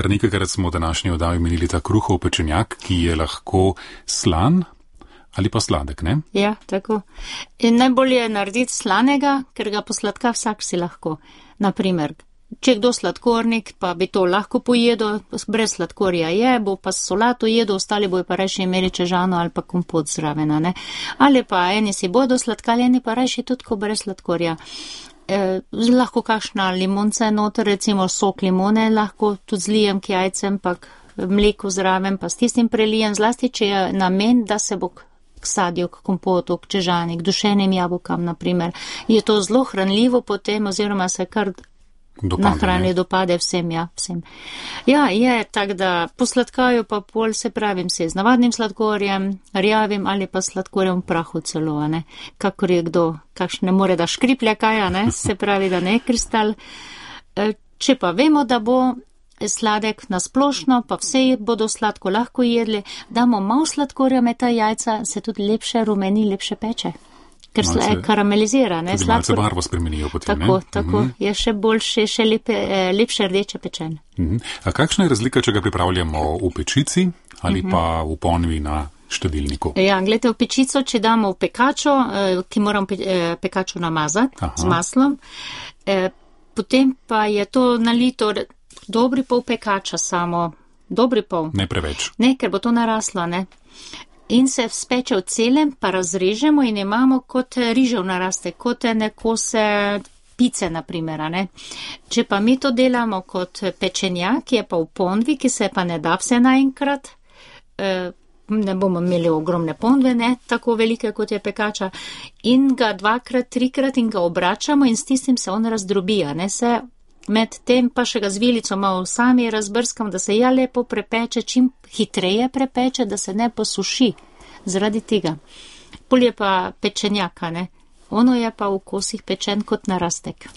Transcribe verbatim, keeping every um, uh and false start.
kar nekajkrat smo v današnji oddaji menili ta kruhov pečenjak, ki je lahko slan ali pa sladek, ne? Ja, tako. In najbolje je narediti slanega, ker ga posladka vsak si lahko. Naprimer, če kdo sladkornik, pa bi to lahko pojedel, brez sladkorja je, bo pa solato jedel, ostali bojo pa rajši imeli čežano ali pa kompot zraven, ne? Ali pa eni si bodo sladkali, eni pa rajši tudi ko brez sladkorja. Eh, lahko kakšna limonca noter, recimo sok limone, lahko tudi zlijem k jajcem, pa mleko zraven, pa s tistim prelijem, zlasti, če je namen, da se bo k sadju, k kompotu, k čežani, k dušenim jabolkam, naprimer. Je to zelo hranljivo potem, oziroma se kar Dopade, na hrani ne? dopade vsem, ja, vsem. Ja, je, tak da posladkajo pa pol, se pravim, se z navadnim sladkorjem, rjavim ali pa sladkorjem v prahu celo, ne, kakor je kdo, kakšne more da škriplja kaja, ne, se pravi, da ne kristal. E, če pa vemo, da bo sladek nasplošno, pa vse bodo sladko lahko jedli, damo malo sladkorja med ta jajca, se tudi lepše rumeni, lepše peče. Ker se karamelizira, ne, tudi malce barvo spremenijo potem, tako, ne? Tako, Mhm. je še boljše, še lepe, lepše rdeče pečen. Mhm. A kakšna je razlika, če ga pripravljamo v pečici ali Mhm. pa v ponvi na štedilniku? Ja, gledajte, v pečico, če damo v pekačo, ki moram pekačo namazati Aha. z maslom, potem pa je to nalito dobri pol pekača samo, dobri pol. Ne preveč. Ne, ker bo to naraslo, ne. In se speče v celem, pa razrežemo in imamo kot rižev naraste, kot nekose pice, naprimer, ne. Če pa mi to delamo kot pečenjak, je pa v ponvi, ki se pa ne da vse naenkrat, ne bomo imeli ogromne ponve, ne, tako velike, kot je pekača, in ga dvakrat, trikrat in ga obračamo in s tistim se on razdrobija, ne, se med tem pa še ga z vilico malo sami razbrskam, da se ja lepo prepeče, čim hitreje prepeče, da se ne posuši zaradi tega. Pol je pa pečenjaka, ne, ono je pa v kosih pečen kot narastek.